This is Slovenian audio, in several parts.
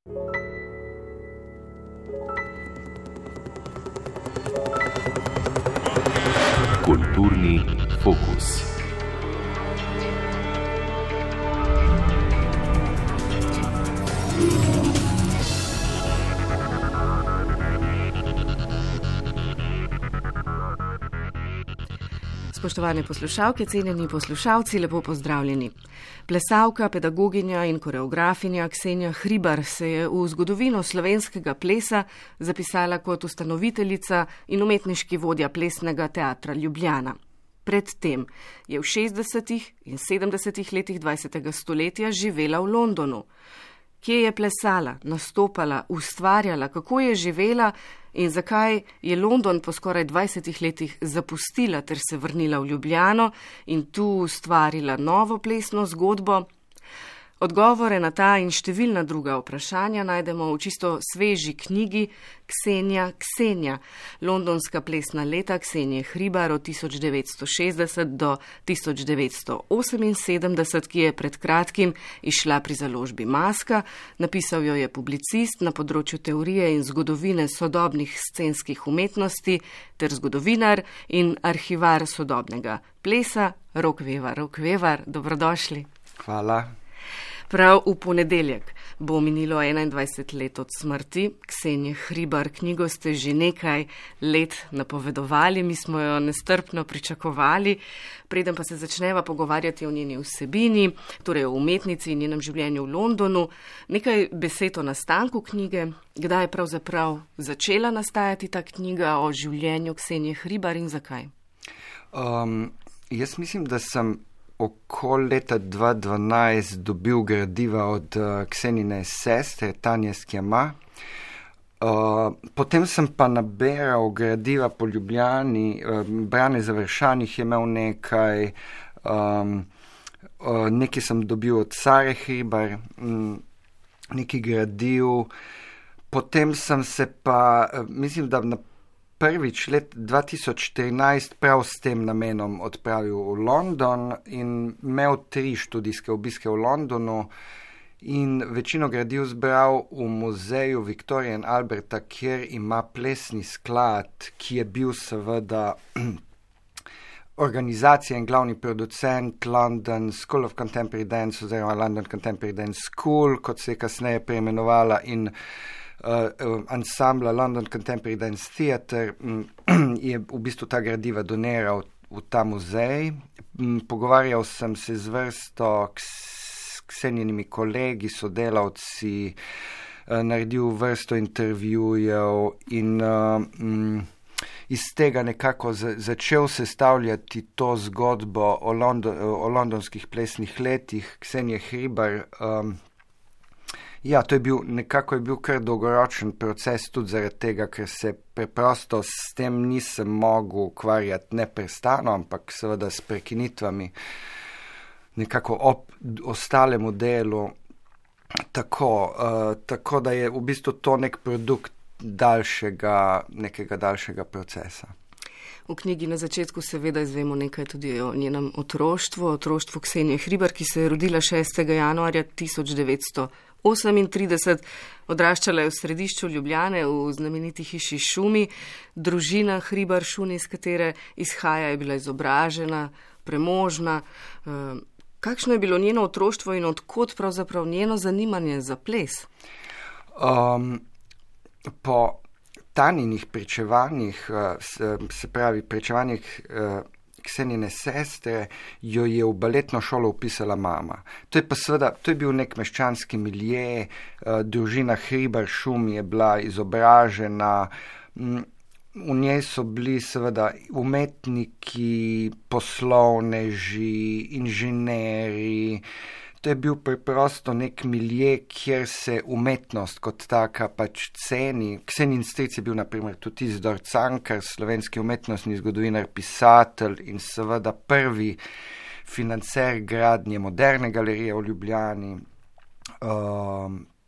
Kulturni fokus. Spoštovane poslušalke, cenjeni poslušalci, lepo pozdravljeni. Plesalka, pedagoginja in koreografinja Ksenija Hribar se je v zgodovino slovenskega plesa zapisala kot ustanoviteljica in umetniški vodja Plesnega teatra Ljubljana. Predtem je v 60. in 70. letih 20. stoletja živela v Londonu. Kje je plesala, nastopala, ustvarjala, kako je živela in zakaj je London po skoraj 20 letih zapustila ter se vrnila v Ljubljano in tu ustvarila novo plesno zgodbo. Odgovore na ta in številna druga vprašanja najdemo v čisto sveži knjigi Ksenija, londonska plesna leta Ksenije Hribar od 1960 do 1978, ki je pred kratkim izšla pri založbi Maska. Napisal jo je publicist na področju teorije in zgodovine sodobnih scenskih umetnosti ter zgodovinar in arhivar sodobnega plesa Rok Vevar, dobrodošli. Hvala. Prav v ponedeljek bo minilo 21 let od smrti Ksenije Hribar. Knjigo ste že nekaj let napovedovali, mi smo jo nestrpno pričakovali. Preden pa se začneva pogovarjati o njeni vsebini, torej o umetnici in njenem življenju v Londonu, nekaj besed o nastanku knjige. Kdaj je pravzaprav začela nastajati ta knjiga o življenju Ksenije Hribar in zakaj? Jaz mislim, da sem okoli leta 2012 dobil gradiva od Ksenine sestre Tanje Skjama. Potem sem pa naberal gradiva po Ljubljani, Brane Završanih je imel nekaj, nekaj sem dobil od Sare Hribar, nekaj gradiv. Potem sem se pa, mislim, da prvič let 2014 prav s tem namenom odpravil v London in imel 3 študijske obiske v Londonu in večino gradiv zbral v muzeju Victoria and Alberta, kjer ima plesni sklad, ki je bil seveda organizacija in glavni producent London School of Contemporary Dance oziroma London Contemporary Dance School, kot se je kasneje preimenovala, in ansambla London Contemporary Dance Theatre je v bistvu ta gradiva doniral v ta muzej. Pogovarjal sem se z vrsto Ksenjenimi kolegi, sodelavci, naredil vrsto intervjujev in iz tega nekako začel sestavljati to zgodbo o londonskih plesnih letih Ksenije Hribar. Ja, to je bil kar dolgoročen proces, tudi zaradi tega, ker se preprosto s tem nisem mogel ukvarjati neprestano, ampak seveda s prekinitvami nekako ob ostalemu delu. Tako da je v bistvu to nek produkt nekega daljšega procesa. V knjigi na začetku seveda izvemo nekaj tudi o njenem otroštvu Ksenije Hribar, ki se je rodila 6. januarja 1938, odraščala je v središču Ljubljane v znameniti hiši Šumi. Družina Hribar Šuni, iz katere izhaja, je bila izobražena, premožna. Kakšno je bilo njeno otroštvo in odkot pravzaprav njeno zanimanje za ples? Po Taninih pričevanjih, se pravi pričevanjih Ksenine sestre, jo je v baletno šolo upisala mama. To je bil nek meščanski milje, družina Hribar Šumi je bila izobražena, v njej so bili seveda umetniki, poslovneži, inženeri. To je bil preprosto nek milje, kjer se umetnost kot taka pač ceni. Ksenin stric je bil na primer tudi Izidor Cankar, slovenski umetnostni zgodovinar, pisatelj in seveda prvi financer gradnje moderne galerije v Ljubljani.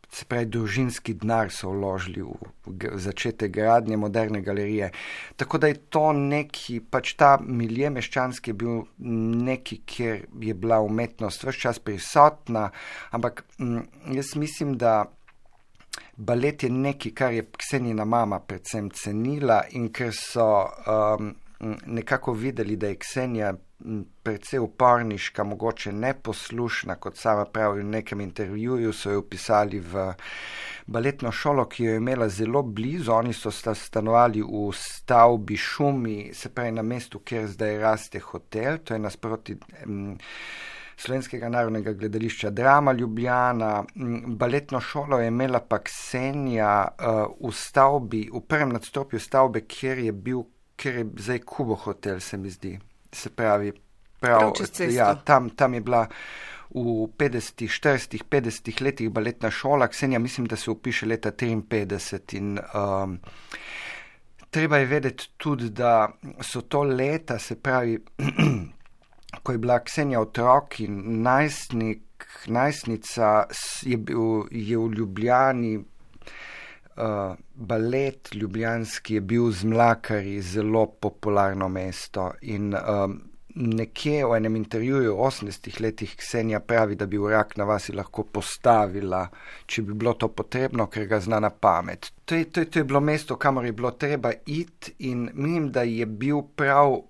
Se pravi, družinski denar so vložili v začetek gradnje moderne galerije. Tako da je to neki, pač ta milje meščanski je bil neki, kjer je bila umetnost ves čas prisotna, ampak jaz mislim, da balet je nekaj, kar je Ksenjina mama predvsem cenila in ker so nekako videli, da je Ksenija precej uporniška, mogoče neposlušna, kot sama pravi v nekem intervjuju, so jo upisali v baletno šolo, ki jo je imela zelo blizu. Oni so stanovali v stavbi Šumi, se pravi na mestu, kjer zdaj raste hotel, to je nasproti Slovenskega narodnega gledališča Drama Ljubljana. Baletno šolo je imela pa Ksenija v stavbi, v prvem nadstropju stavbe, kjer je zdaj Kubo hotel, se mi zdi. Se pravi, tam je bila v 40, 50 letih baletna šola. Ksenija mislim, da se upiše leta 53 in treba je vedeti tudi, da so to leta, se pravi, ko je bila Ksenija otrok in najstnica, je v Ljubljani balet ljubljanski je bil z Mlakarji zelo popularno mesto in nekje v enem intervjuju v 80 letih Ksenija pravi, da bi v Rak na vasi lahko postavila, če bi bilo to potrebno, ker ga zna na pamet. To je bilo mesto, kamor je bilo treba iti in mislim, da je bil prav,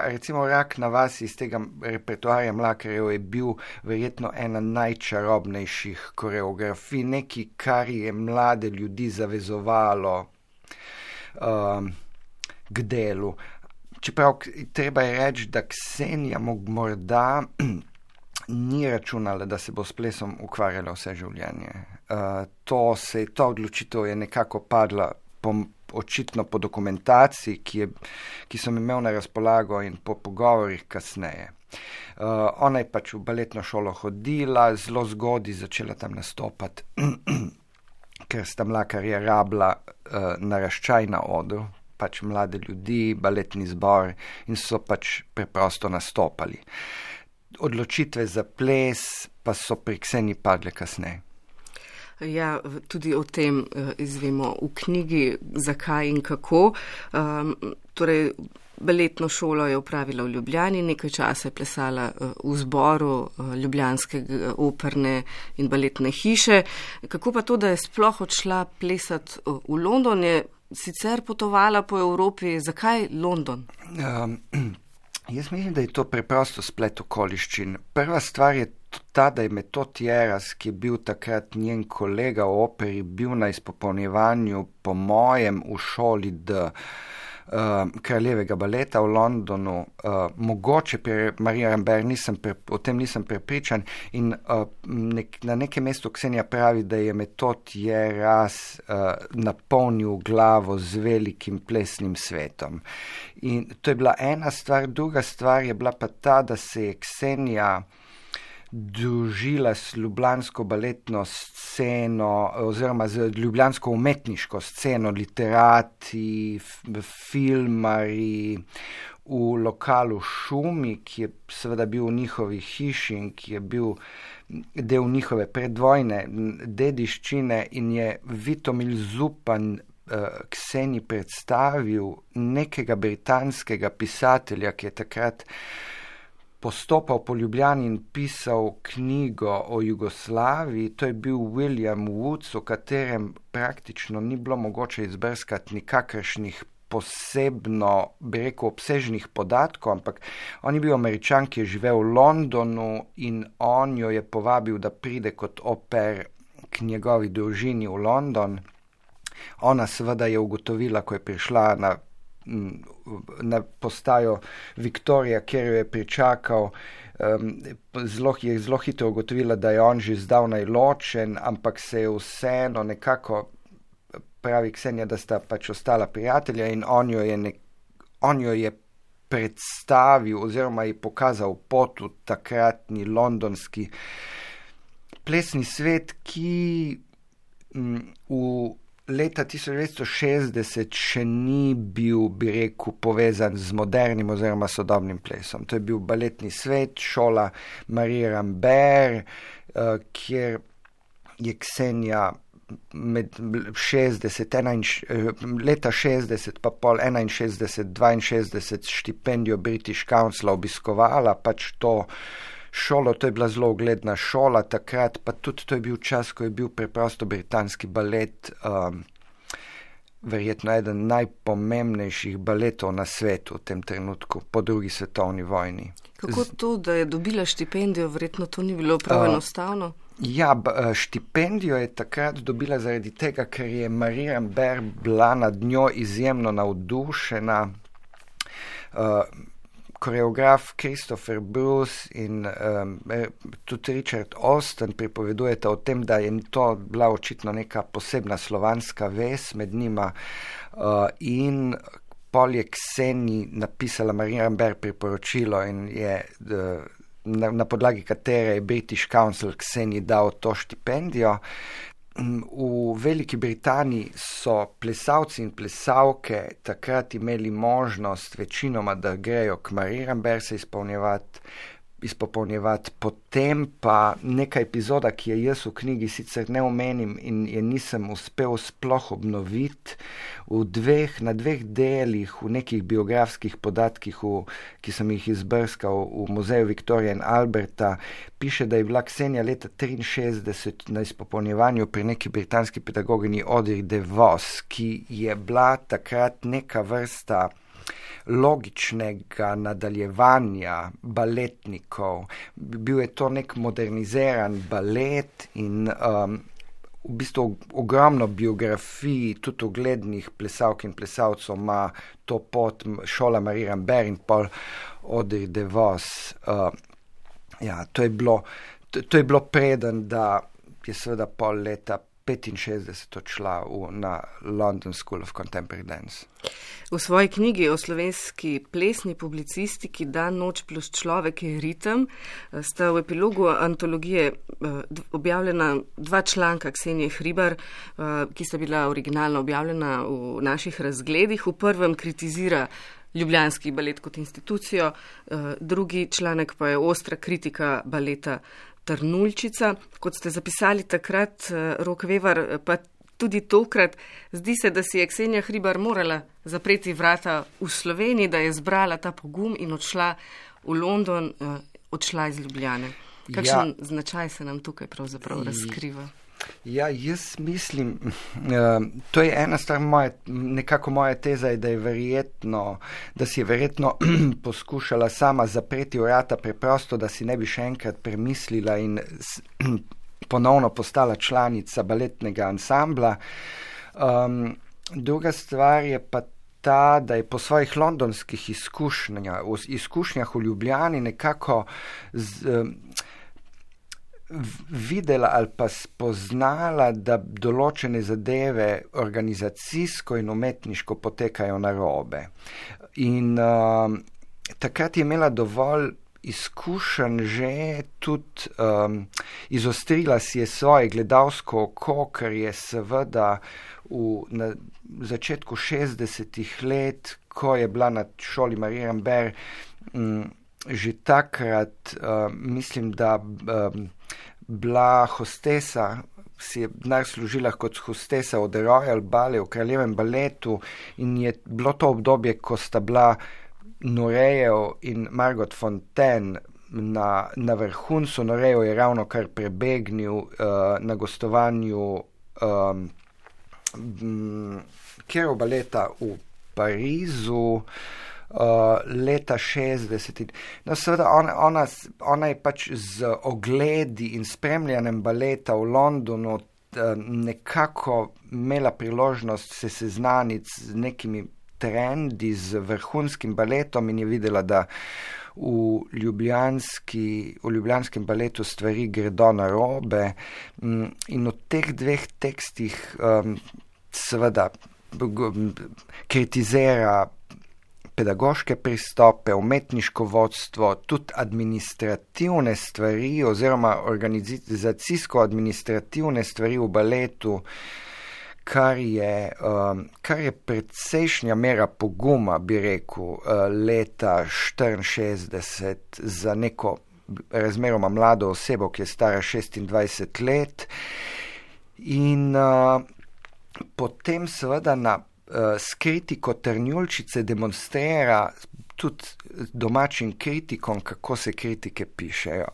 recimo Rak na vasi iz tega repertoarja Mlakarjev je bil verjetno ena najčarobnejših koreografij, nekaj, kar je mlade ljudi zavezovalo k delu. Čeprav treba je reči, da Ksenija morda ni računala, da se bo s plesom ukvarjala vse življenje. Ta odločitev je nekako padla očitno po dokumentaciji, ki sem imel na razpolago in po pogovorih kasneje. Ona je pač v baletno šolo hodila, zelo zgodaj začela tam nastopati, ker sta Mlakarja rabila naraščaj na odru, pač mlade ljudi, baletni zbor in so pač preprosto nastopali. Odločitve za ples pa so pri Kseniji padle kasneje. Ja, tudi o tem izvemo v knjigi, zakaj in kako. Torej, baletno šolo je opravila v Ljubljani, nekaj časa je plesala v zboru Ljubljanske operne in baletne hiše. Kako pa to, da je sploh odšla plesati v London, je sicer potovala po Evropi, zakaj London? Jaz mislim, da je to preprosto splet okoliščin. Prva stvar je ta, da je Metod Jeras, ki je bil takrat njen kolega v operi, bil na izpopolnjevanju po mojem v šoli Kraljevega baleta v Londonu, mogoče pri Marija Rambert, o tem nisem prepričan in na nekem mestu Ksenija pravi, da je Metod Jeras napolnil glavo z velikim plesnim svetom. In to je bila ena stvar, druga stvar je bila pa ta, da se je Ksenija družila s ljubljansko baletno sceno oziroma z ljubljansko umetniško sceno, literati, filmari v lokalu Šumi, ki je seveda bil v njihovi hiši in ki je bil del njihove predvojne dediščine in je Vitomil Zupan Kseniji predstavil nekega britanskega pisatelja, ki je takrat postopal po Ljubljani in pisal knjigo o Jugoslaviji. To je bil William Woods, o katerem praktično ni bilo mogoče izbrskati nikakršnih posebno, bi rekel, obsežnih podatkov, ampak on je bil Američan, ki je živel v Londonu in on jo je povabil, da pride kot au pair k njegovi družini v London. Ona seveda je ugotovila, ko je prišla na postajo Viktorija, kjer jo je pričakal, je zelo hitro ugotovila, da je on že zdavnaj ločen, ampak se je vseeno nekako, pravi Ksenija, da sta pač ostala prijatelja in on jo je predstavil oziroma ji pokazal pot v takratni londonski plesni svet, ki v leta 1960 še ni bil, bi rekel, povezan z modernim oziroma sodobnim plesom. To je bil baletni svet, šola Marije Rambert, kjer je Ksenija med leta 60 pa pol 61, 62 štipendijo British Councila obiskovala, pač to šolo, to je bila zelo ugledna šola takrat, pa tudi to je bil čas, ko je bil preprosto britanski balet verjetno eden najpomembnejših baletov na svetu v tem trenutku, po drugi svetovni vojni. Kako to, da je dobila štipendijo, verjetno to ni bilo prav enostavno? Ja, štipendijo je takrat dobila zaradi tega, ker je Marie Rambert bila nad njo izjemno navdušena. Koreograf Christopher Bruce in tudi Richard Austin pripovedujeta o tem, da je to bila očitno neka posebna slovanska vez med njima in pol je Kseni napisala Marie Rambert priporočilo in je na podlagi katere je British Council Kseni dal to štipendijo. V Veliki Britaniji so plesalci in plesalke takrat imeli možnost večinoma, da grejo k Marie Rambert se izpopolnjevati, potem pa neka epizoda, ki je jaz v knjigi sicer ne omenim in je nisem uspel sploh obnoviti, na dveh delih, v nekih biografskih podatkih, ki sem jih izbrskal v muzeju Victoria in Alberta, piše, da je bila Ksenija leta 1963 na izpopolnjevanju pri neki britanski pedagoginji Audrey DeVos, ki je bila takrat neka vrsta logičnega nadaljevanja baletnikov. Bil je to nek moderniziran balet in v bistvu ogromno biografij, tudi uglednih plesalk in plesalcev ima to pot šola Marie Rambert in pol Audrey DeVos. Ja, to je bilo preden, da je seveda pol leta 1965 odšla na London School of Contemporary Dance. V svoji knjigi o slovenski plesni publicistiki Dan, noč plus človek je ritem sta v epilogu antologije objavljena 2 članka Ksenije Hribar, ki sta bila originalno objavljena v naših razgledih. V prvem kritizira ljubljanski balet kot institucijo, drugi članek pa je ostra kritika baleta Trnuljčica. Kot ste zapisali takrat, Rok Vevar, pa tudi tokrat, zdi se, da si je Ksenija Hribar morala zapreti vrata v Sloveniji, da je zbrala ta pogum in odšla v London, odšla iz Ljubljane. Kakšen značaj se nam tukaj pravzaprav razkriva? Ja, jaz mislim, to je ena stvar nekako moja teza je, da si je verjetno poskušala sama zapreti vrata preprosto, da si ne bi še enkrat premislila in ponovno postala članica baletnega ansambla. Druga stvar je pa ta, da je po svojih londonskih izkušnjah v Ljubljani nekako videla ali pa spoznala, da določene zadeve organizacijsko in umetniško potekajo narobe. In takrat je imela dovolj izkušenj že tudi izostrila si je svoje gledalsko oko, ker je seveda na začetku 60-ih let, ko je bila na šoli Marie Rambert, že takrat mislim, da bila hostesa, si je denar služila kot hostesa od Royal Ballet v Kraljevem baletu in je bilo to obdobje, ko sta bila Nurejev in Margot Fontaine na vrhuncu. Nurejev je ravno kar prebegnil na gostovanju Kerov baleta v Parizu leta 60. No, seveda ona je pač z ogledi in spremljanjem baleta v Londonu nekako imela priložnost se seznaniti z nekimi trendi, z vrhunskim baletom in je videla, da v ljubljanskem baletu stvari gredo narobe in v teh 2 tekstih seveda kritizira pedagoške pristope, umetniško vodstvo, tudi administrativne stvari oziroma organizacijsko-administrativne stvari v baletu, kar je precejšnja mera poguma, bi rekel, leta 1964 za neko razmeroma mlado osebo, ki je stara 26 let. In potem seveda na s kritiko Trnuljčice demonstrira tudi domačim kritikom, kako se kritike pišejo.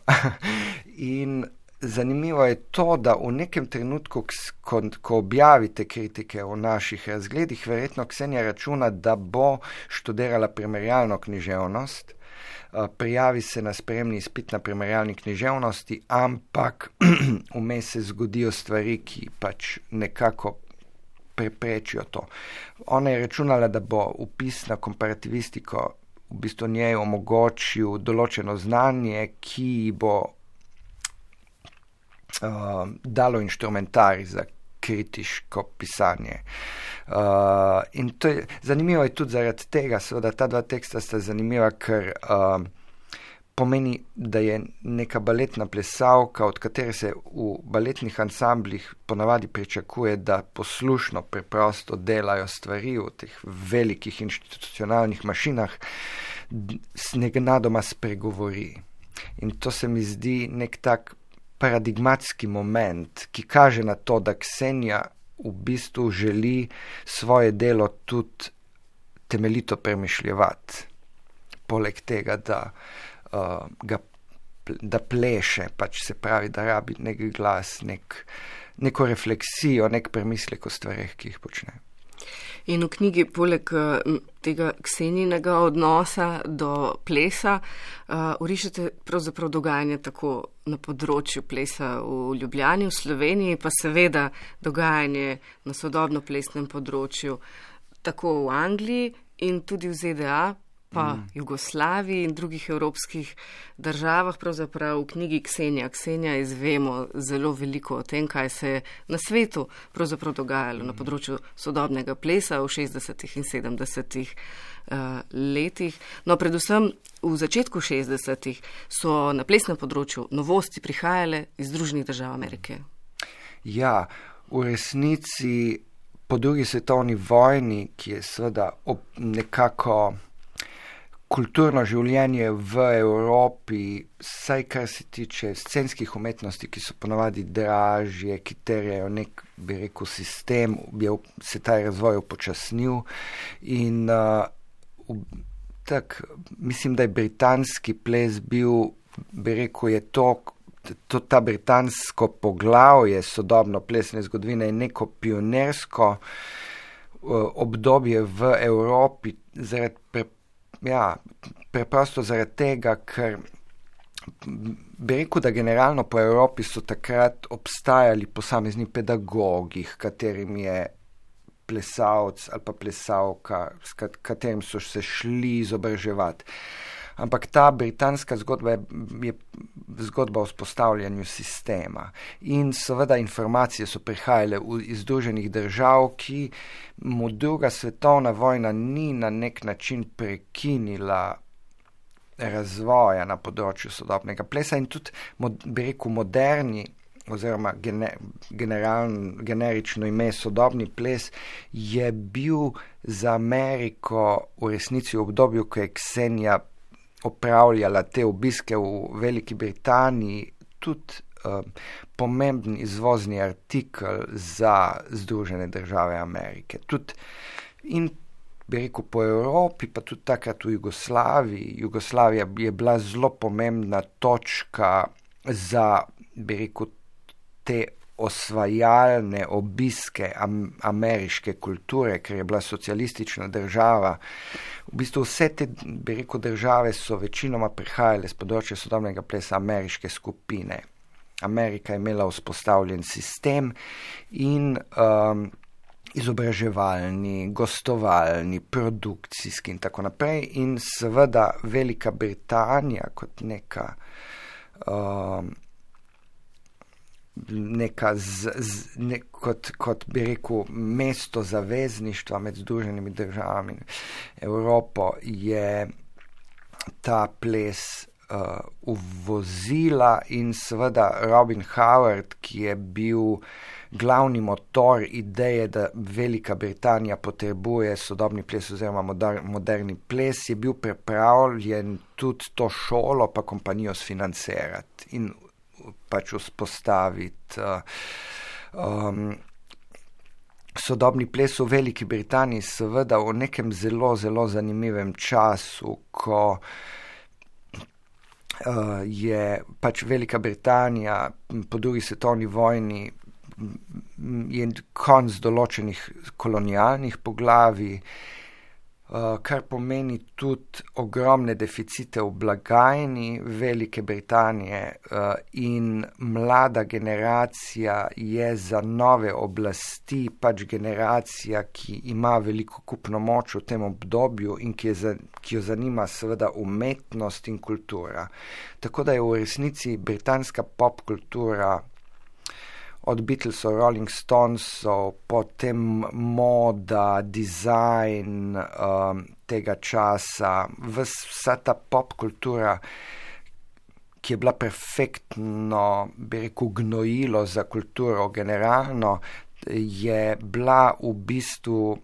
In zanimivo je to, da v nekem trenutku, ko objavite kritike o naših razgledih, verjetno Ksenija računa, da bo študirala primerjalno književnost, prijavi se na sprejemni izpit na primerjalni književnosti, ampak vmes se zgodijo stvari, ki pač nekako preprečijo to. Ona je računala, da bo vpis na komparativistiko v bistvu njej omogočil določeno znanje, ki bo dalo inštrumentarij za kritiško pisanje. In to je, zanimivo je tudi zaradi tega, seveda ta dva teksta sta zanimiva, ker pomeni, da je neka baletna plesalka, od katere se v baletnih ansamblih ponavadi pričakuje, da poslušno preprosto delajo stvari v teh velikih institucionalnih mašinah, nenadoma spregovori. In to se mi zdi nek tak paradigmatski moment, ki kaže na to, da Ksenija v bistvu želi svoje delo tudi temeljito premišljevati. Poleg tega, da pleše, pač se pravi, da rabi nek glas, neko refleksijo, nek premislek o stvareh, ki jih počne. In v knjigi, poleg tega Ksenijinega odnosa do plesa, orišete pravzaprav dogajanje tako na področju plesa v Ljubljani, v Sloveniji, pa seveda dogajanje na sodobno plesnem področju tako v Angliji in tudi v ZDA, pa Jugoslaviji in drugih evropskih državah. Pravzaprav v knjigi Ksenija izvemo zelo veliko o tem, kaj se je na svetu pravzaprav dogajalo na področju sodobnega plesa v 60. in 70. Letih. No, predvsem v začetku 60. so na plesnem področju novosti prihajale iz Združenih držav Amerike. Ja, v resnici po drugi svetovni vojni, ki je seveda nekako kulturno življenje v Evropi, saj kar se tiče scenskih umetnosti, ki so ponavadi dražje, ki terjajo nek, bi rekel, sistem, se ta razvoj upočasnil in mislim, da je britanski ples bil, bi rekel, je ta britansko poglavje sodobno plesne zgodovine je neko pionersko obdobje v Evropi preprosto zaradi tega, ker bi rekel, da generalno po Evropi so takrat obstajali posamezni pedagogi, katerim je plesalc ali pa plesalka, s katerim so se šli izobraževati. Ampak ta britanska zgodba je zgodba o vzpostavljanju sistema. In seveda informacije so prihajale iz Združenih držav, ki mu druga svetovna vojna ni na nek način prekinila razvoja na področju sodobnega plesa in tudi, bi rekel, moderni oziroma generično ime sodobni ples je bil za Ameriko v resnici v obdobju, ko je Ksenija opravljala te obiske v Veliki Britaniji, tudi pomemben izvozni artikel za Združene države Amerike. Tudi in bi rekel po Evropi, pa tudi takrat v Jugoslaviji. Jugoslavija je bila zelo pomembna točka za, bi rekel, te osvajalne obiske ameriške kulture, ker je bila socialistična država. V bistvu vse te, bi rekel, države so večinoma prihajale z področja sodobnega plesa ameriške skupine. Amerika je imela vzpostavljen sistem in izobraževalni, gostovalni, produkcijski in tako naprej. In seveda Velika Britanija kot kot bi rekel mesto zavezništva med Združenimi državami Evropo je ta ples uvozila in seveda Robin Howard, ki je bil glavni motor ideje, da Velika Britanija potrebuje sodobni ples oziroma moderni ples, je bil pripravljen tudi to šolo pa kompanijo sfinancirati in pač vzpostaviti sodobni ples v Veliki Britaniji seveda v nekem zelo, zelo zanimivem času, ko je pač Velika Britanija po drugi svetovni vojni je konc določenih kolonialnih poglavij, kar pomeni tudi ogromne deficite v blagajni Velike Britanije in mlada generacija je za nove oblasti pač generacija, ki ima veliko kupno moč v tem obdobju in ki jo zanima seveda umetnost in kultura. Tako da je v resnici britanska pop kultura od Beatlesov, Rolling Stonesov, potem moda, dizajn tega časa, vsa ta pop kultura, ki je bila perfektno, bi rekel, gnojilo za kulturo generalno, je bila v bistvu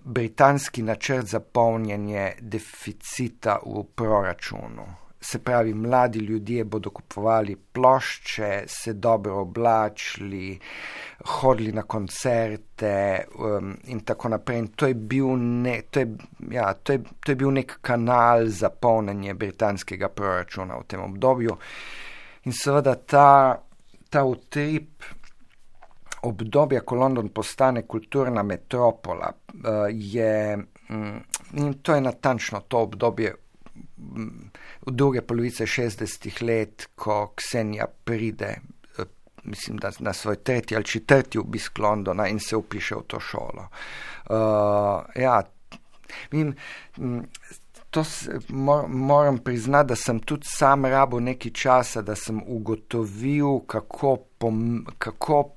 britanski načrt za polnjenje deficita v proračunu. Se pravi, mladi ljudje bodo kupovali plošče, se dobro oblačili, hodili na koncerte in tako naprej. In to je bil nek kanal za polnjenje britanskega proračuna v tem obdobju. In seveda ta utrip obdobja, ko London postane kulturna metropola, in to je natančno to obdobje v druge polovice 60 let, ko Ksenija pride, mislim, da na svoj 3. ali 4. obisk Londona in se vpiše v to šolo. Moram priznati, da sem tudi sam rabil nekaj časa, da sem ugotovil, kako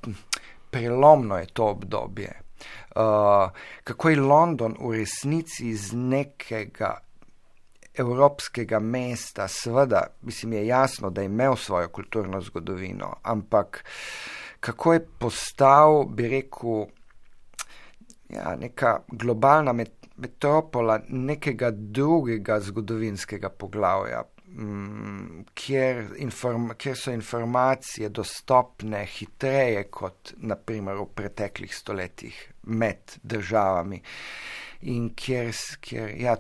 prelomno je to obdobje. Kako je London v resnici iz nekega evropskega mesta, seveda, mislim, je jasno, da je imel svojo kulturno zgodovino, ampak kako je postal, bi rekel, neka globalna metropola nekega drugega zgodovinskega poglavja, kjer so informacije dostopne hitreje kot naprimer v preteklih stoletjih med državami. In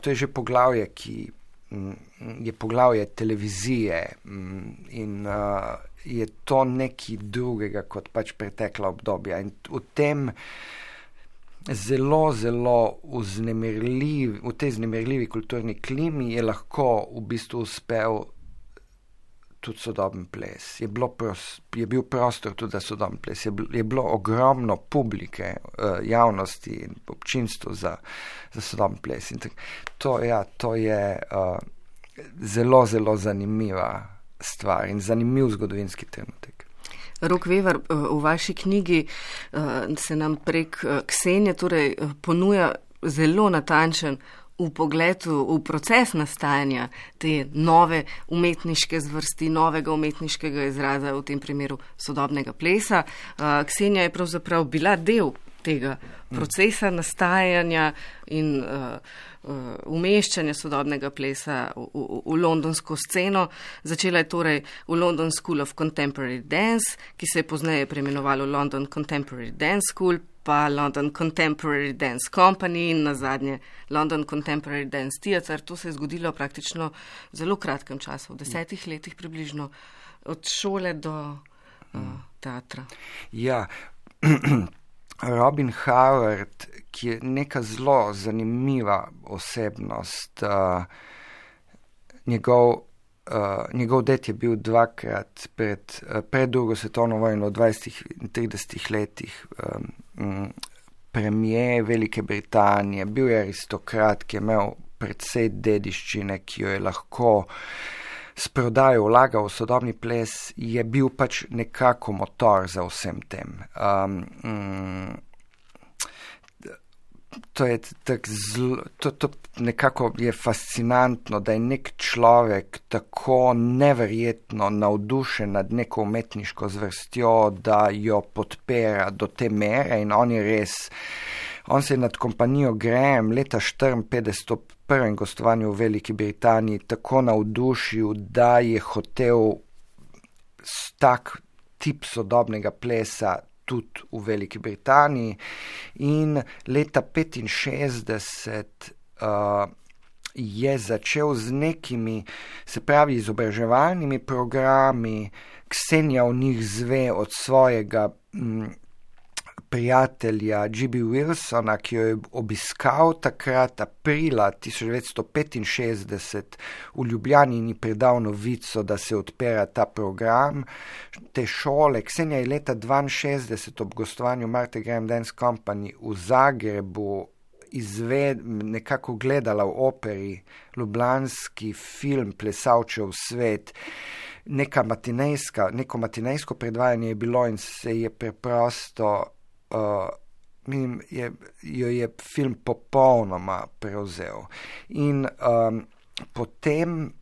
to je že poglavje, ki je poglavje televizije in je to nekaj drugega kot pač pretekla obdobja. In v tem zelo, zelo v tej vznemirljivi kulturni klimi je lahko v bistvu uspel tudi sodoben ples. Je bil prostor tudi za sodoben ples. Je bilo ogromno publike, javnosti in občinstvu za sodoben ples. In to je zelo, zelo zanimiva stvar in zanimiv zgodovinski trenutek. Rok Vevar, v vaši knjigi se nam prek Ksenije torej ponuja zelo natančen vpogled v proces nastajanja te nove umetniške zvrsti, novega umetniškega izraza, v tem primeru sodobnega plesa. Ksenija je pravzaprav bila del tega procesa nastajanja in umeščanja sodobnega plesa v londonsko sceno. Začela je torej v London School of Contemporary Dance, ki se je pozneje preimenovalo London Contemporary Dance School, pa London Contemporary Dance Company in nazadnje London Contemporary Dance Theatre. To se je zgodilo praktično v zelo kratkem času, v 10 letih približno, od šole do teatra. Ja, Robin Howard, ki je neka zelo zanimiva osebnost, njegov ded je bil dvakrat pred drugo svetovno vojno v 20 in 30 letih premijer Velike Britanije, bil je aristokrat, ki je imel precej dediščine, ki jo je lahko s prodajo vlagal v sodobni ples, je bil pač nekako motor za vsem tem. To nekako je fascinantno, da je nek človek tako neverjetno navdušen nad neko umetniško zvrstjo, da jo podpira do te mere in on se je nad kompanijo Graham leta 1954 ob prvem gostovanju v Veliki Britaniji tako navdušil, da je hotel tak tip sodobnega plesa tudi v Veliki Britaniji in leta 1965 je začel z nekimi, se pravi, izobraževalnimi programi. Ksenija v njih zve od svojega prijatelja G.B. Wilsona, ki jo je obiskal takrat aprila 1965 v Ljubljani in ji predal novico, da se odpira ta program te šole. Ksenija je leta 1962 ob gostovanju Martha Graham Dance Company v Zagrebu nekako gledala v operi ljubljanski film Plesavčev svet. Neko matinejsko predvajanje je bilo in se je preprosto jo je film popolnoma prevzel. In potem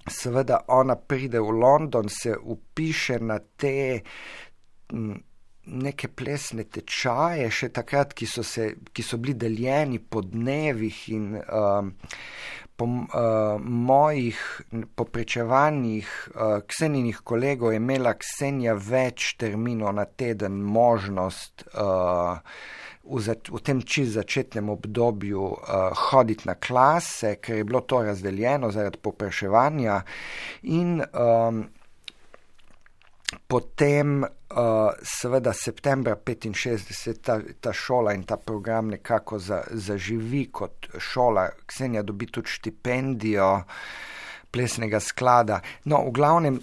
seveda ona pride v London, se vpiše na te neke plesne tečaje, še takrat, ki so bili deljeni po dnevih in po mojih poprečevanjih Ksenijinih kolegov je imela Ksenija več terminov na teden možnost v tem čisto začetnem obdobju hoditi na klase, ker je bilo to razdeljeno zaradi popraševanja in potem seveda septembra 1965 ta šola in ta program nekako zaživi kot šola. Ksenija dobi tudi štipendijo plesnega sklada. No, v glavnem,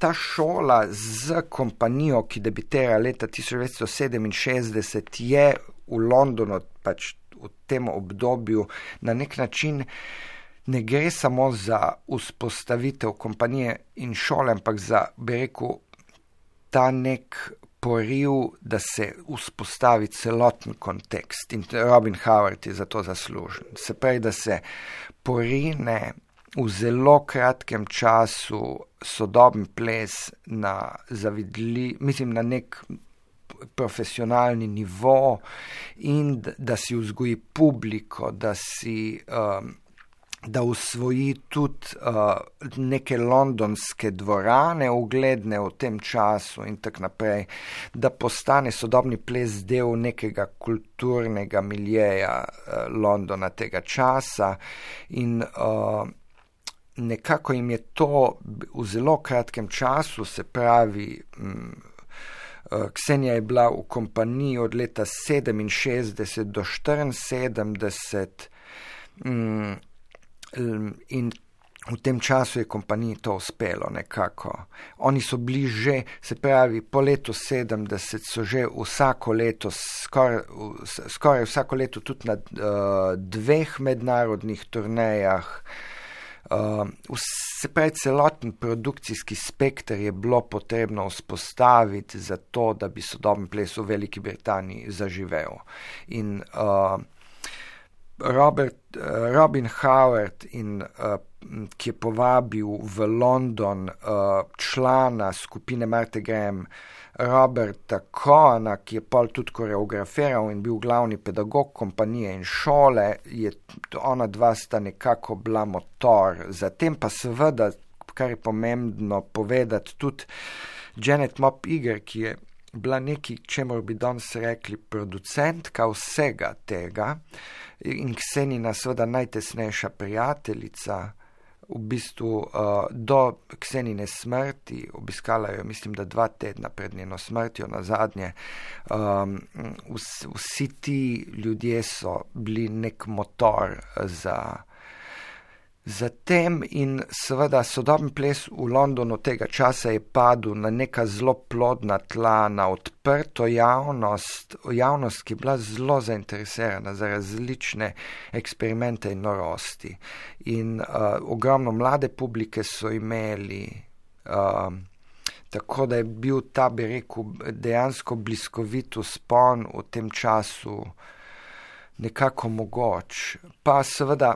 ta šola z kompanijo, ki debitira leta 1967, je v Londonu pač v tem obdobju na nek način ne gre samo za vzpostavitev kompanije in šole, ampak za, bi rekel, ta nek poriv, da se vzpostavi celoten kontekst in Robin Howard je za to zaslužen. Se pravi, da se porine v zelo kratkem času sodoben ples na nek profesionalni nivo in da si vzgoji publiko, da usvoji tudi neke londonske dvorane ugledne v tem času in tako naprej, da postane sodobni ples del nekega kulturnega miljeja Londona tega časa in nekako jim je to v zelo kratkem času, se pravi, Ksenija je bila v kompaniji od leta 67 do 74 in v tem času je kompaniji to uspelo nekako. Oni so bili že, se pravi, po letu 70 so že vsako leto, skoraj vsako leto tudi na 2 mednarodnih turnejah. Se pravi, celoten produkcijski spekter je bilo potrebno vzpostaviti za to, da bi sodoben ples v Veliki Britaniji zaživel. In Robin Howard, ki je povabil v London člana skupine Martha Graham, Roberta Cohena, ki je pol tudi koreografiral in bil glavni pedagog kompanije in šole, ona dva sta nekako bila motor. Zatem pa seveda, kar je pomembno povedati, tudi Janet Mopp Iger, ki je bila nekaj, čemur bi danes rekli producentka vsega tega in Ksenina seveda najtesnejša prijateljica, v bistvu do Ksenine smrti, obiskala jo, mislim, da 2 tedna pred njeno smrtjo nazadnje. Vsi ti ljudje so bili nek motor za tem in seveda sodoben ples v Londonu tega časa je padel na neka zelo plodna tla, na odprto javnost, ki je bila zelo zainteresirana za različne eksperimente in norosti. In ogromno mlade publike so imeli, tako da je bil ta, bi rekel, dejansko bliskovit vzpon v tem času nekako mogoč. Pa seveda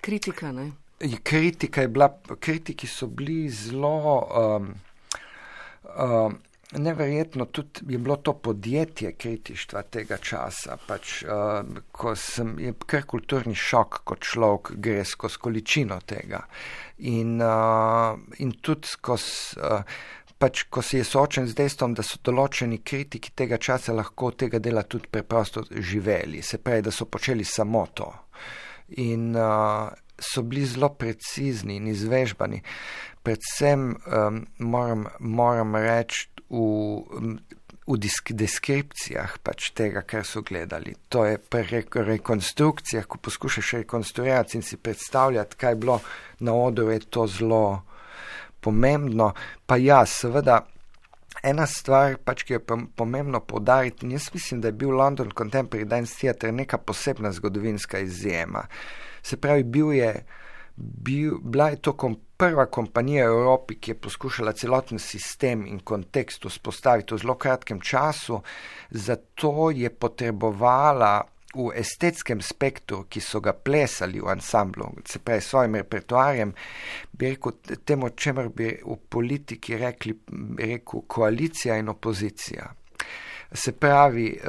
kritika, ne? Kritiki so bili zelo neverjetno, tudi je bilo to podjetje kritištva tega časa, pač, ko je kar kulturni šok, ko človek gre skozi količino tega. In tudi skozi pač, ko si je soočen z dejstvom, da so določeni kritiki tega časa lahko tega dela tudi preprosto živeli, se pravi, da so počeli samo to. In so bili zelo precizni in izvežbani. Predvsem moram reči v deskripcijah pač tega, kar so gledali. To je pri rekonstrukcijah, ko poskušaš rekonstruirati in si predstavljati, kaj je bilo na odru, je to zelo pomembno. Pa ja, seveda, ena stvar, pač, ki je pomembno poudariti, in jaz mislim, da je bil London Contemporary Dance Theatre neka posebna zgodovinska izjema. Se pravi, bila je to prva kompanija v Evropi, ki je poskušala celoten sistem in kontekst vzpostaviti v zelo kratkem času, zato je potrebovala v estetskem spektru, ki so ga plesali v ansamblu, se pravi s svojim repertoarjem, bi rekel temu, čemer bi v politiki rekel koalicija in opozicija. Se pravi,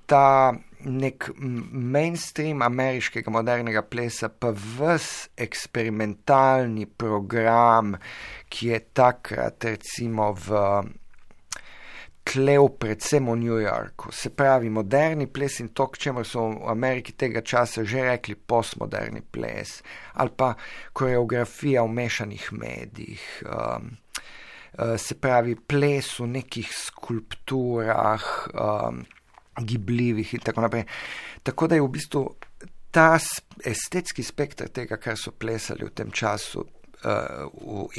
ta nek mainstream ameriškega modernega plesa, pa ves eksperimentalni program, ki je takrat recimo tlev predvsem v New Yorku. Se pravi, moderni ples in to, k čemer so v Ameriki tega časa že rekli postmoderni ples, ali pa koreografija v mešanih medijih, se pravi, ples v nekih skulpturah, gibljivih in tako naprej. Tako da je v bistvu ta estetski spektr tega, kar so plesali v tem času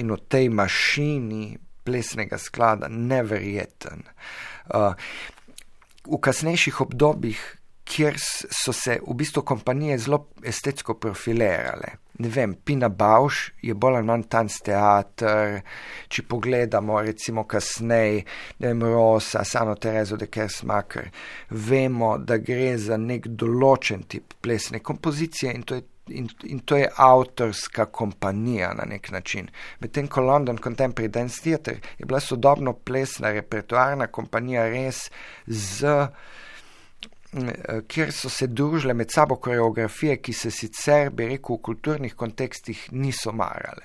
in v tej mašini plesnega sklada, neverjeten. V kasnejših obdobjih, kjer so se v bistvu kompanije zelo estetsko profilirale. Ne vem, Pina Bausch je bolj ali manj Tanztheater, če pogledamo recimo kasneje, ne vem, Rosa, Sano Terezo de Kersmacher, vemo, da gre za nek določen tip plesne kompozicije in to je avtorska kompanija na nek način. Medtem ko London Contemporary Dance Theatre je bila sodobno plesna repertoarna kompanija res kjer so se družile med sabo koreografije, ki se sicer, bi rekel, v kulturnih kontekstih niso marale.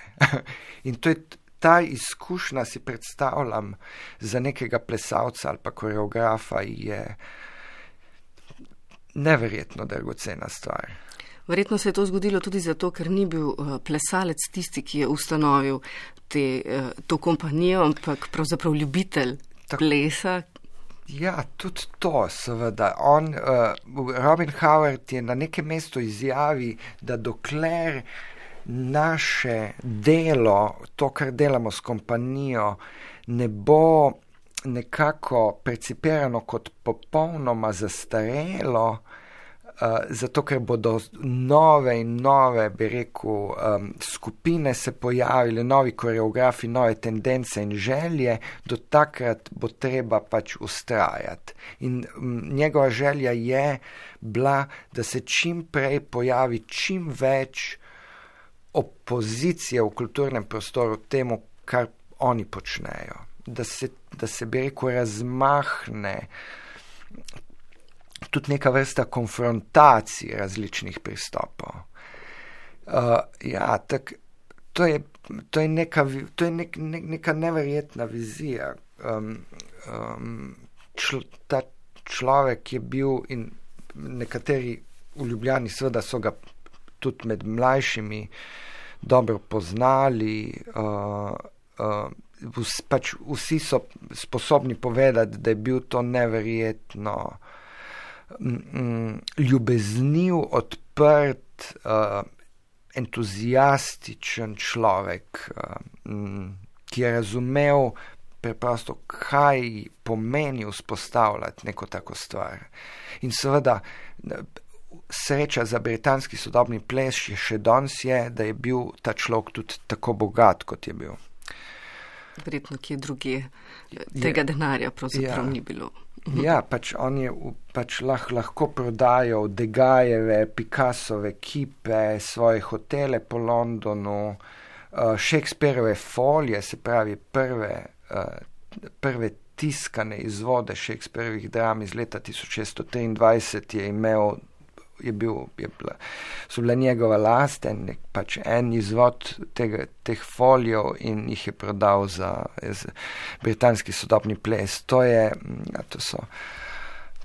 In to je ta izkušnja, si predstavljam, za nekega plesalca ali pa koreografa je neverjetno dragocena stvar. Verjetno se je to zgodilo tudi zato, ker ni bil plesalec tisti, ki je ustanovil to kompanijo, ampak pravzaprav ljubitelj plesa. Ja, tudi to, seveda. Robin Howard je na nekem mestu izjavi, da dokler naše delo, to, kar delamo s kompanijo, ne bo nekako percipirano kot popolnoma zastarelo, zato ker bodo nove in nove, bi rekel, skupine se pojavile, novi koreografi, nove tendence in želje, do takrat bo treba pač ustrajati. In njegova želja je bila, da se čim prej pojavi čim več opozicije v kulturnem prostoru temu, kar oni počnejo. Da se bi rekel, razmahne tudi neka vrsta konfrontacij različnih pristopov. To je neka neverjetna vizija. Ta človek je bil in nekateri v Ljubljani seveda so ga tudi med mlajšimi dobro poznali, pač vsi so sposobni povedati, da je bil to neverjetno ljubezniv, odprt, entuzijastičen človek, ki je razumel preprosto, kaj pomeni vzpostavljati neko tako stvar. In seveda, sreča za britanski sodobni ples še danes je, da je bil ta človek tudi tako bogat, kot je bil. Verjetno, ki je druge tega denarja pravzaprav ni bilo. Ja, pač on je pač lahko prodajal Degajeve, Picassove kipe, svoje hotele po Londonu, Shakespearove folije, se pravi prve tiskane izvode Shakespearovih dram iz leta 1623 je imel so bila njegova last, pač en izvod teh folijev in jih je prodal za britanski sodobni ples. To so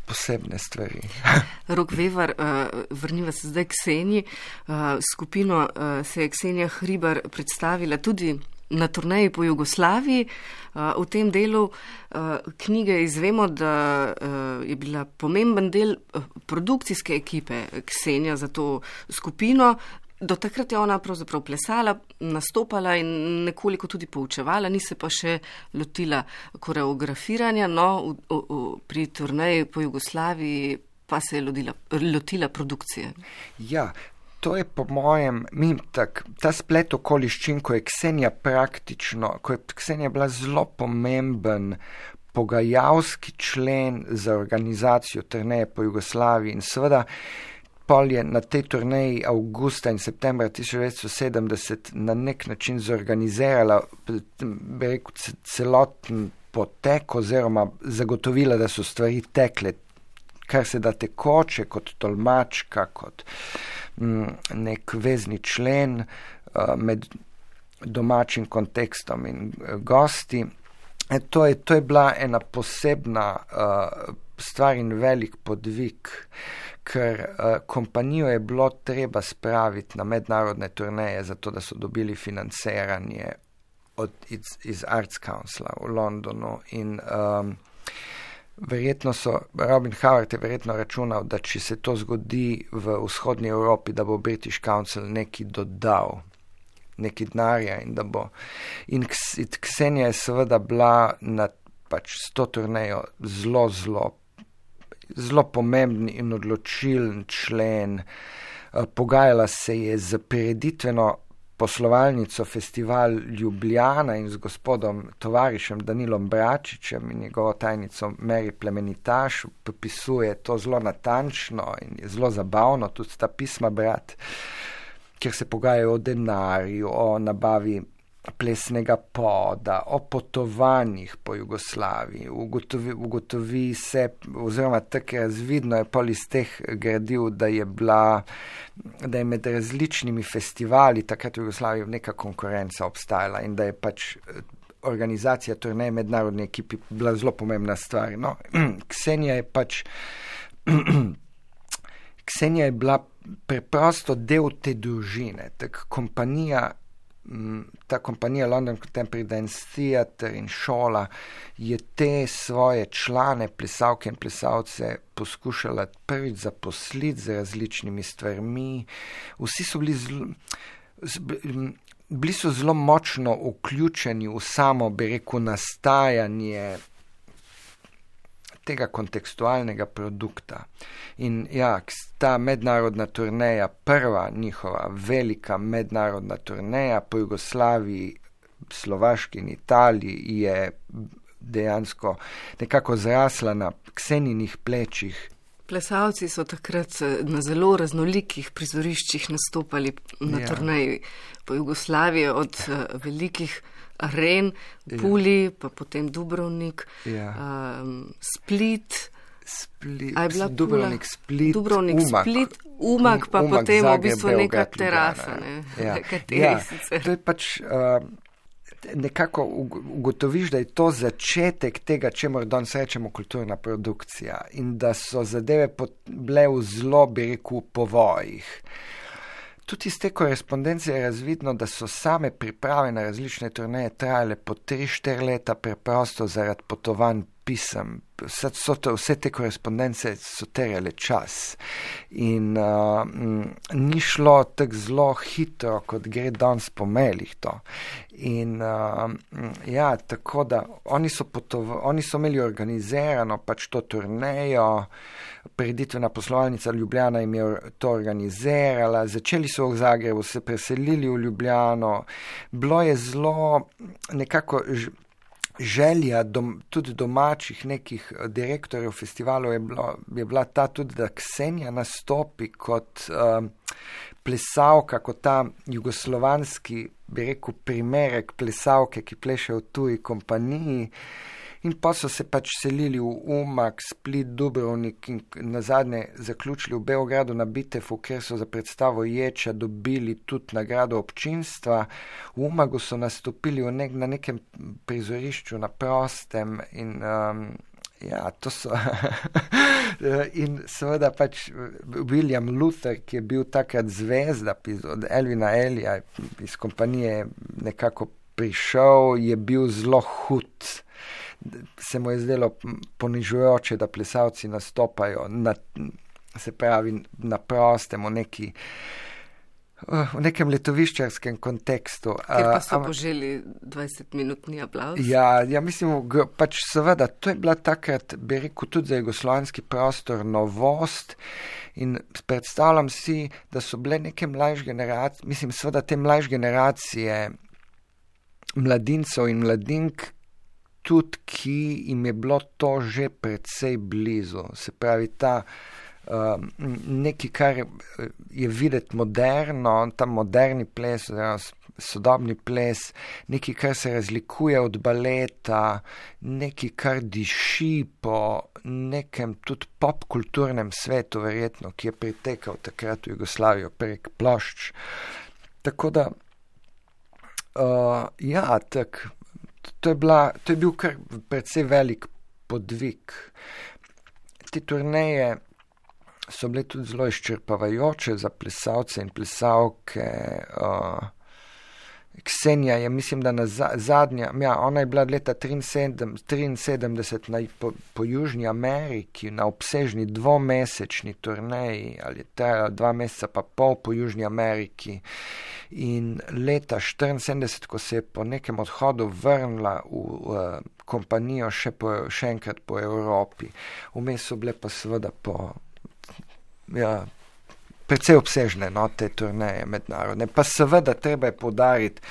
posebne stvari. Rok Vevar, vrniva se zdaj k Ksenji. Skupino se je Ksenija Hribar predstavila tudi na turneji po Jugoslaviji. V tem delu knjige izvemo, da je bila pomemben del produkcijske ekipe Ksenija za to skupino. Do takrat je ona pravzaprav plesala, nastopala in nekoliko tudi poučevala, ni se pa še lotila koreografiranja, no, pri turneji po Jugoslaviji pa se je lotila produkcije. Ja, to je po mojem, ta splet okoliščin, ko je Ksenija bila zelo pomemben pogajalski člen za organizacijo turneje po Jugoslaviji in seveda pol je na tej turneji avgusta in septembra 1970 na nek način zorganizirala, bi rekel, celoten potek oziroma zagotovila, da so stvari tekle, kar se da tekoče, kot tolmačka, kot nek vezni člen med domačim kontekstom in gosti. To je bila ena posebna stvar in velik podvig, ker kompanijo je bilo treba spraviti na mednarodne turneje, zato da so dobili financiranje iz Arts Councila v Londonu in Robin Howard je verjetno računal, da če se to zgodi v vzhodnji Evropi, da bo British Council neki dodal, neki denarja in da bo. In Ksenija je seveda bila na pač s to turnejo zelo pomemben in odločilen člen. Pogajala se je z prireditveno poslovalnico Festival Ljubljana in z gospodom tovarišem Danilom Bračičem in njegovo tajnico Mary Plemenitaš. Popisuje to zelo natančno in je zelo zabavno tudi ta pisma brati, kjer se pogajajo o denarju, o nabavi plesnega poda, o potovanjih po Jugoslaviji. Ugotovi se, oziroma tako razvidno je pol iz teh gradiv, da je med različnimi festivali takrat v Jugoslaviji neka konkurenca obstajala in da je pač organizacija turneje mednarodni ekipi bila zelo pomembna stvar. No, Ksenija je bila preprosto del te družine, ta kompanija London Contemporary Dance Theatre in šola je te svoje člane, plesalke in plesalce poskušala prvič zaposliti z različnimi stvarmi. Vsi so bili so zelo močno vključeni v samo, bi rekel, nastajanje tega kontekstualnega produkta. In ja, ta mednarodna turneja, prva njihova velika mednarodna turneja po Jugoslaviji, Slovaški in Italiji je dejansko nekako zrasla na Ksenijinih plečih. Plesalci so takrat na zelo raznolikih prizoriščih nastopali na turneji po Jugoslaviji, od velikih aren, Puli, pa potem Dubrovnik, Split, Dubrovnik, Split, Umag, pa potem v bistvu neka terasa. To je pač nekako ugotoviš, da je to začetek tega, čemur danes rečemo kulturna produkcija in da so zadeve bile v zelo, bi rekel, povojih. Tudi iz te korespondence je razvidno, da so same priprave na različne turneje trajale po 3-4 leta preprosto zaradi potovanj pisem. Vse te korespondence so terjale čas in ni šlo tako zelo hitro, kot gre danes po mailih to. In tako da oni so imeli organizirano pač to turnejo, prireditvena poslovalnica Ljubljana jim je to organizirala, začeli so v Zagrebu, se preselili v Ljubljano, bilo je zelo nekako želja tudi domačih nekih direktorjev festivalov je bila ta tudi, da Ksenija nastopi kot plesalka, kot ta jugoslovanski, bi rekel, primerek plesalke, ki pleše v tuji kompaniji. In pa so se pač selili v Umag, Split, Dubrovnik in nazadnje zaključili v Beogradu na Bitefu, kjer so za predstavo Ječa dobili tudi nagrado občinstva. V Umagu so nastopili na nekem prizorišču na prostem in to so in seveda pač William Luther, ki je bil takrat zvezda od Elvina Elija iz kompanije nekako prišel, je bil zelo hud. Se mu je zdelo ponižujoče, da plesalci nastopajo se pravi na prostem v nekem letoviščarskem kontekstu. Ker pa so poželi 20-minutni aplavz. Ja, mislim, pač seveda, to je bila takrat, bi rekel, tudi za jugoslovanski prostor novost in predstavljam si, da so bile neke mlajše generacije, mislim, seveda te mlajše generacije mladincev in mladink, tudi ki jim je bilo to že precej blizu. Se pravi, ta nekaj, kar je videti moderno, ta moderni ples, sodobni ples, nekaj, kar se razlikuje od baleta, nekaj, kar diši po nekem tudi popkulturnem svetu, verjetno, ki je pritekal takrat v Jugoslavijo prek plošč. Tako da, to je bil kar precej velik podvig. Te turneje so bile tudi zelo izčrpavajoče za plesalce in plesalke. Ksenija je, mislim, da zadnja, ona je bila leta 1973 po Južni Ameriki na obsežni 2-mesečni turneji, ali je trajala 2 meseca pa pol po Južni Ameriki. In leta 1974, ko se je po nekem odhodu vrnila v kompanijo še enkrat po Evropi. Vmes so bile pa seveda precej obsežne te turneje mednarodne. Pa seveda treba je poudariti,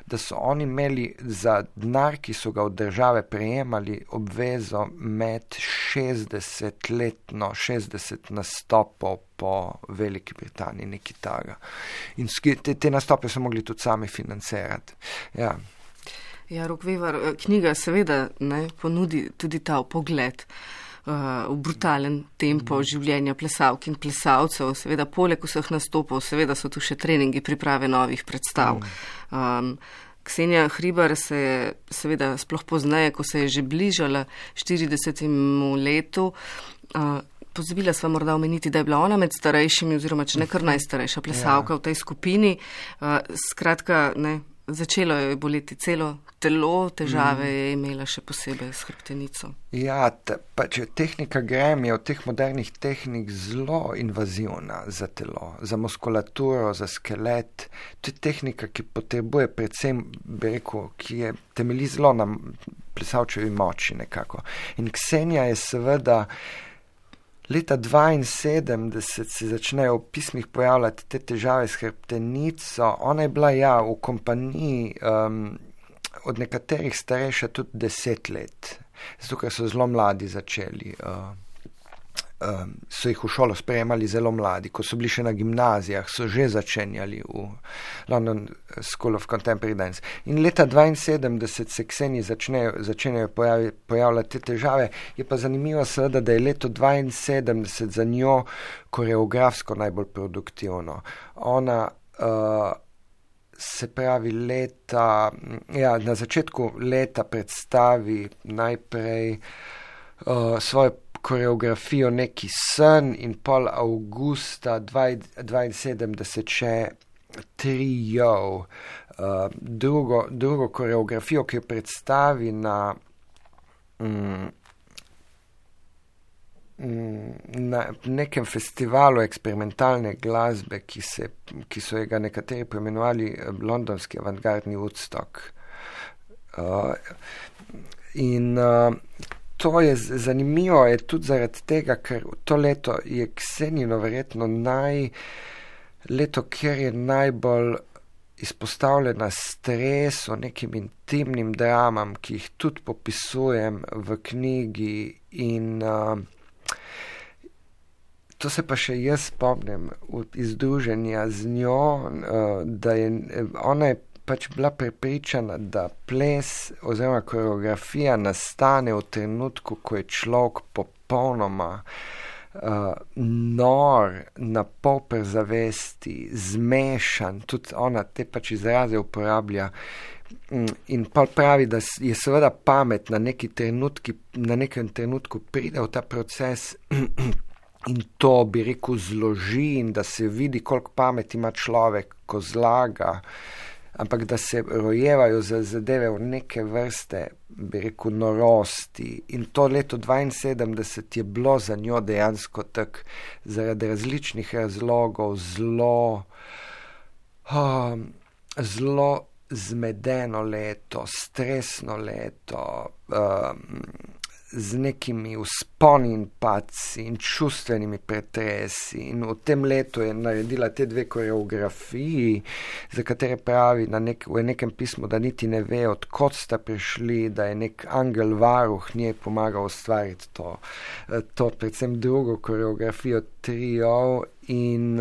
da so oni imeli za denar, ki so ga od države prejemali, obvezo med 60 nastopov po Veliki Britaniji, nekaj taga. In te nastope so mogli tudi sami financirati. Ja, Rok Vevar, knjiga seveda ponudi tudi ta pogled v brutalen tempo življenja plesalk in plesalcev. Seveda, poleg vseh nastopov, seveda so tu še treningi priprave novih predstav. Ksenija Hribar se je seveda sploh pozneje, ko se je že bližala 40. letu, pozabila sva morda omeniti, da je bila ona med starejšimi oziroma če ne kar najstarejša plesalka v tej skupini. Skratka, začelo je boleti celo telo, težave je imela še posebej s hrbtenico. Ja, če tehnika grem je od teh modernih tehnik zelo invazivna za telo, za muskulaturo, za skelet. To je tehnika, ki potrebuje predvsem, bi rekel, ki je temelji zelo na plesalčevi moči nekako. In Ksenija je seveda leta 1972 se začnejo v pismih pojavljati te težave s hrbtenico. Ona je bila v kompaniji od nekaterih starejša tudi 10 let. Zato, ker so zelo mladi začeli. So jih v šolo sprejemali zelo mladi. Ko so bili še na gimnazijah, so že začenjali v London School of Contemporary Dance. In leta 1972 se Kseniji začenjajo pojavljati te težave. Je pa zanimivo seveda, da je leto 1972 za njo koreografsko najbolj produktivno. Ona se pravi na začetku leta predstavi najprej svojo koreografijo Neki sen in pol avgusta 1972 še Trio, drugo koreografijo, ki jo predstavi na nekem festivalu eksperimentalne glasbe, ki so ga nekateri poimenovali londonski avantgardni Woodstock. In to je zanimivo, je tudi zaradi tega, ker to leto je Ksenino verjetno leto, kjer je najbolj izpostavljena stresu, nekim intimnim dramam, ki jih tudi popisujem v knjigi in to se pa še jaz spomnim iz druženja z njo, da je ona pač bila prepričana, da ples oziroma koreografija nastane v trenutku, ko je človek popolnoma nor, na pol prezavesti, zmešan, tudi ona te pač izraze uporablja in pa pravi, da je seveda pamet na nekem trenutku pride v ta proces in to, bi rekel, zloži in da se vidi, koliko pameti ima človek, ko zlaga, ampak da se rojevajo zadeve v neke vrste, bi rekel, norosti. In to leto 72 je bilo za njo dejansko tak zaradi različnih razlogov zelo zmedeno leto, stresno leto, z nekimi vzponi in padci in čustvenimi pretresi. In v tem letu je naredila te dve koreografiji, za katere pravi v nekem pismu, da niti ne ve, odkot sta prišli, da je nek angel varuh njej pomagal ustvariti to predvsem drugo koreografijo triov in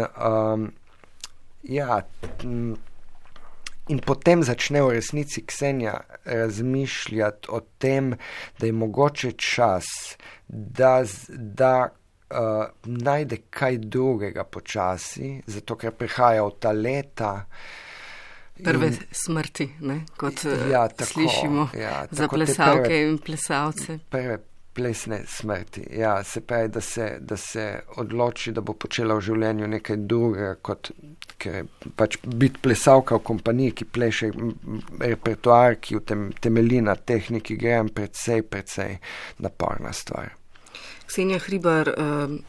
in potem začne v resnici Ksenija razmišljati o tem, da je mogoče čas, da najde kaj drugega počasi, zato ker prihaja v ta leta. Prve smrti, ne? Kot slišimo za plesalke in plesalce. Prve plesne smrti, se pravi, da se odloči, da bo počela v življenju nekaj drugega, kot ker pač biti plesalka v kompaniji, ki pleše repertoar, ki temelji na tehniki, gre precej naporna stvar. Ksenija Hribar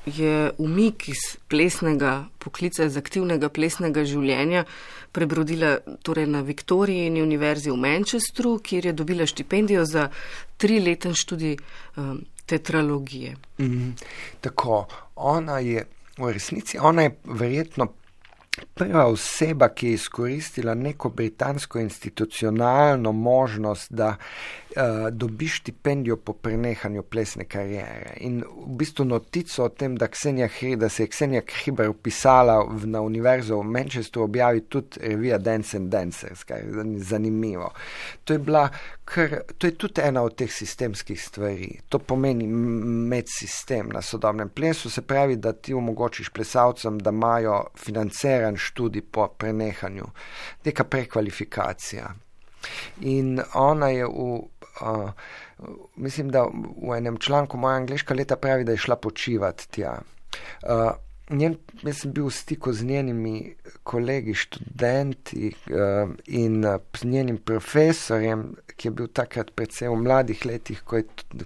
je umik iz plesnega poklica, iz aktivnega plesnega življenja prebrodila torej na Viktorijini univerzi v Manchesteru, kjer je dobila štipendijo za 3-leten študij teatrologije. Tako, ona je verjetno prva oseba, ki je izkoristila neko britansko institucionalno možnost, da dobi štipendijo po prenehanju plesne kariere. In v bistvu notico o tem, da se je Ksenija Hribar upisala na univerzo v Manchesteru, objavi tudi revija Dance and Dancers, kar je zanimivo. To je tudi ena od teh sistemskih stvari. To pomeni medsistem na sodobnem plesu, se pravi, da ti omogočiš plesalcem, da imajo financiran študij po prenehanju. Neka prekvalifikacija. In ona je mislim, da v enem članku Moja angleška leta pravi, da je šla počivati tja. Jaz sem bil v stiku z njenimi kolegi, študenti in z njenim profesorjem, ki je bil takrat predvsem v mladih letih,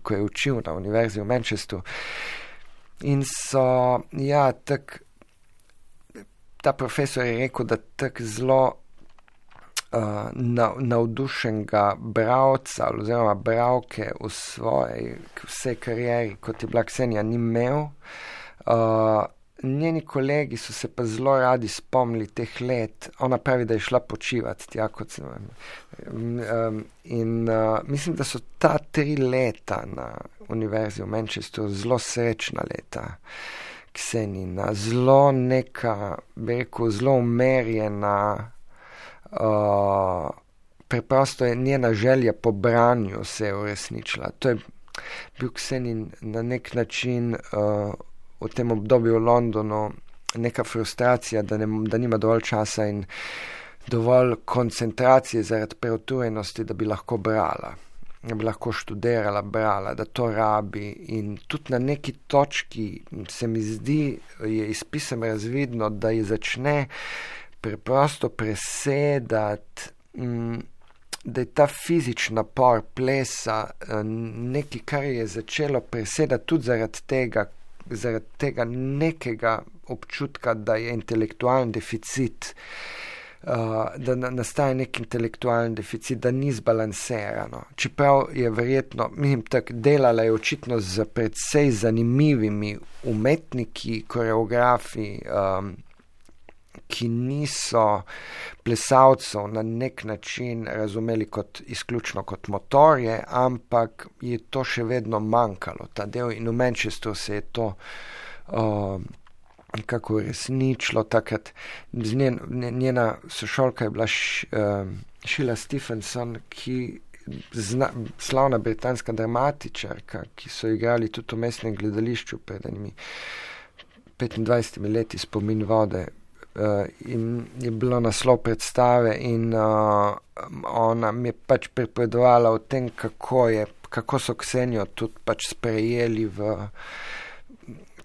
ko je učil na univerzi v Manchesteru. In ta profesor je rekel, da tak zelo navdušenega bralca oziroma bralke v vsej karieri, kot je bila Ksenija, ni imel. Njeni kolegi so se pa zelo radi spomnili teh let. Ona pravi, da je šla počivati tja, kot sem. Mislim, da so ta 3 leta na univerzi v Manchesteru zelo srečna leta Ksenina. Zelo neka, bi rekel, zelo umerjena. Preprosto je njena želja po branju se je uresničila. To je bil Ksenin na nek način v tem obdobju v Londonu neka frustracija, da nima dovolj časa in dovolj koncentracije zaradi preutrujenosti, da bi lahko brala, da bi lahko študirala, brala, da to rabi. In tudi na neki točki se mi zdi, je iz pisem razvidno, da je začne preprosto presedati, da je ta fizični napor plesa nekaj, kar je začelo presedati tudi zaradi tega nekega občutka, da je intelektualni deficit, da nastaja nek intelektualni deficit, da ni zbalansirano. Čeprav je verjetno, delala je očitno z precej zanimivimi umetniki, koreografi, ki niso plesalcev na nek način razumeli izključno kot motorje, ampak je to še vedno manjkalo, ta del, in v Manchesteru se je to nekako uresničilo. Takrat njena sošolka je bila Sheila Stephenson, ki slavna britanska dramatičarka, ki so igrali tudi v mestnem gledališču pred enimi 25 leti Spomin vode. In je bilo naslov predstave in ona mi je pač pripovedovala o tem, kako so Ksenijo tudi pač sprejeli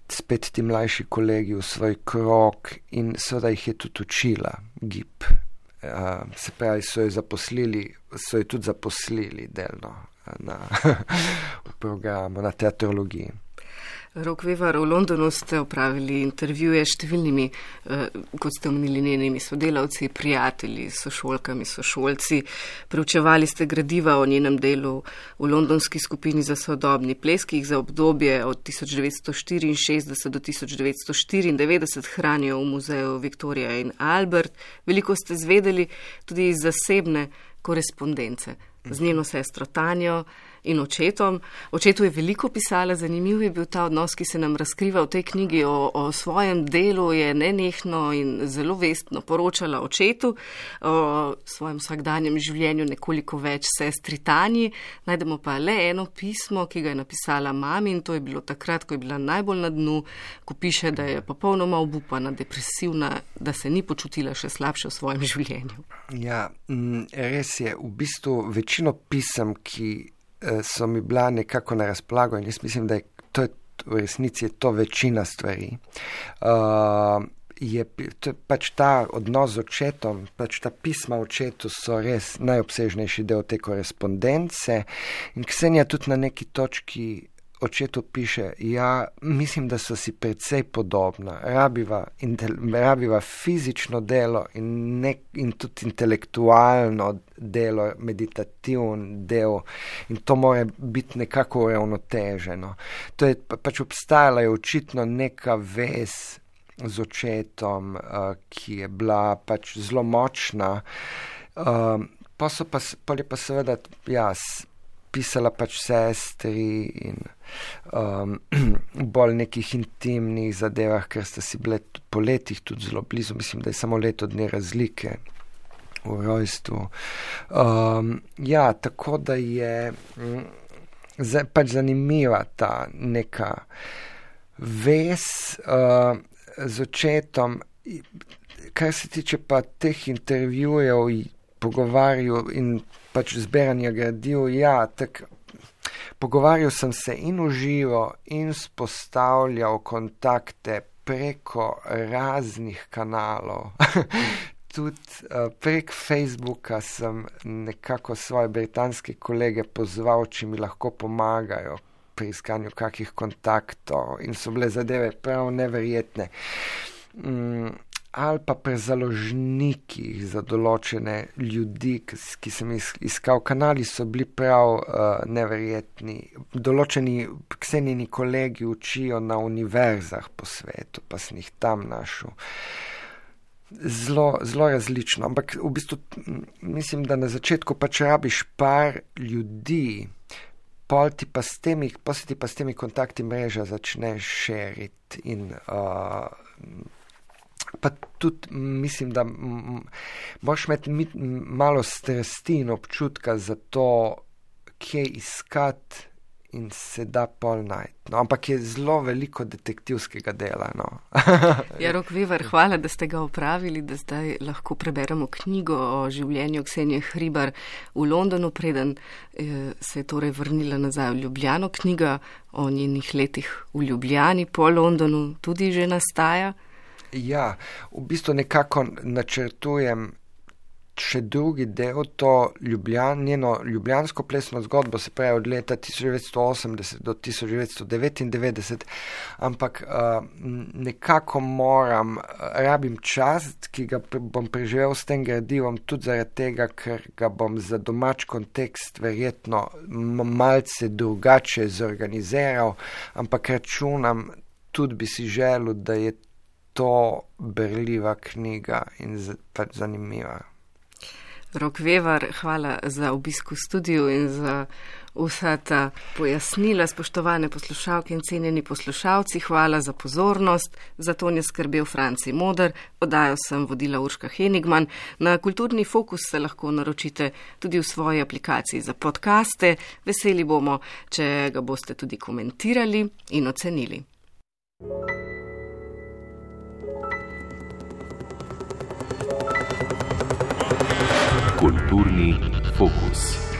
spet ti mlajši kolegi v svoj krog in seveda jih je tudi učila gib. Se pravi, so jo tudi zaposlili delno v programu, na teatrologiji. Rok Vevar, v Londonu ste opravili intervjuje s številnimi, kot ste omenili, njenimi sodelavci, prijatelji, sošolkami, sošolci. Preučevali ste gradiva o njenem delu v londonski skupini za sodobni ples, ki jih za obdobje od 1964 do 1994 hranijo v muzeju Victoria in Albert. Veliko ste zvedeli tudi iz zasebne korespondence z njeno sestro Tanjo in očetom. Očetu je veliko pisala, zanimiv je bil ta odnos, ki se nam razkriva v tej knjigi o svojem delu, je nenehno in zelo vestno poročala očetu, o svojem vsakdanjem življenju nekoliko več sestri Tanji. Najdemo pa le eno pismo, ki ga je napisala mami in to je bilo takrat, ko je bila najbolj na dnu, ko piše, da je popolnoma obupana, depresivna, da se ni počutila še slabše v svojem življenju. Ja, res je, v bistvu večino pisem, ki so mi bila nekako na razpolago in jaz mislim, da v resnici je to večina stvari. Pač ta odnos z očetom, pač ta pisma očetu so res najobsežnejši del te korespondence in Ksenija tudi na neki točki očetu piše, ja, mislim, da so si precej podobna, rabiva fizično delo in tudi intelektualno delo, meditativn del in to mora biti nekako uravnoteženo. To je pač obstajala je očitno neka vez z očetom, ki je bila pač zelo močna. Pol je pa seveda, pisala pač sestri in bolj nekih intimnih zadevah, ker sta si bile po letih tudi zelo blizu. Mislim, da je samo leto dni razlike v rojstvu. Tako da je pač zanimiva ta neka vez z očetom. Kar se tiče pa teh intervjujev, pogovarjal in pač zbiranja gradiv, pogovarjal sem se in v živo in spostavljal kontakte preko raznih kanalov. Tudi prek Facebooka sem nekako svoje britanske kolege pozval, či mi lahko pomagajo pri iskanju kakih kontaktov in so bile zadeve prav neverjetne. Ali pa pri založnikih za določene ljudi, ki sem iskal. Kanali so bili prav neverjetni. Določeni Ksenijini kolegi učijo na univerzah po svetu, pa sem jih tam našel. Zelo različno, ampak v bistvu mislim, da na začetku pač rabiš par ljudi, pol ti pa s temi kontakti mreža začne širiti in pa tudi mislim, da moraš imeti malo strasti in občutka za to, kje iskati in se da pol najti. No, ampak je zelo veliko detektivskega dela. No. Rok Vevar, hvala, da ste ga opravili, da zdaj lahko preberemo knjigo o življenju Ksenije Hribar v Londonu, preden se je torej vrnila nazaj v Ljubljano. Knjiga o njenih letih v Ljubljani po Londonu tudi že nastaja. Ja, v bistvu nekako načrtujem še drugi del, to njeno ljubljansko plesno zgodbo, se pravi od leta 1980 do 1999, ampak nekako rabim čas, ki ga bom preživel s tem gradivom, tudi zaradi tega, ker ga bom za domač kontekst verjetno malce drugače zorganiziral, ampak računam, tudi bi si želel, da je to berljiva knjiga in pač zanimiva. Rok Vevar, hvala za obisk v studiu in za vsa ta pojasnila, spoštovane poslušalke in cenjeni poslušalci. Hvala za pozornost. Za to je skrbel Franci Moder, oddajo sem vodila Urška Henigman. Na Kulturni fokus se lahko naročite tudi v svoji aplikaciji za podcaste. Veseli bomo, če ga boste tudi komentirali in ocenili. Kulturni fokus.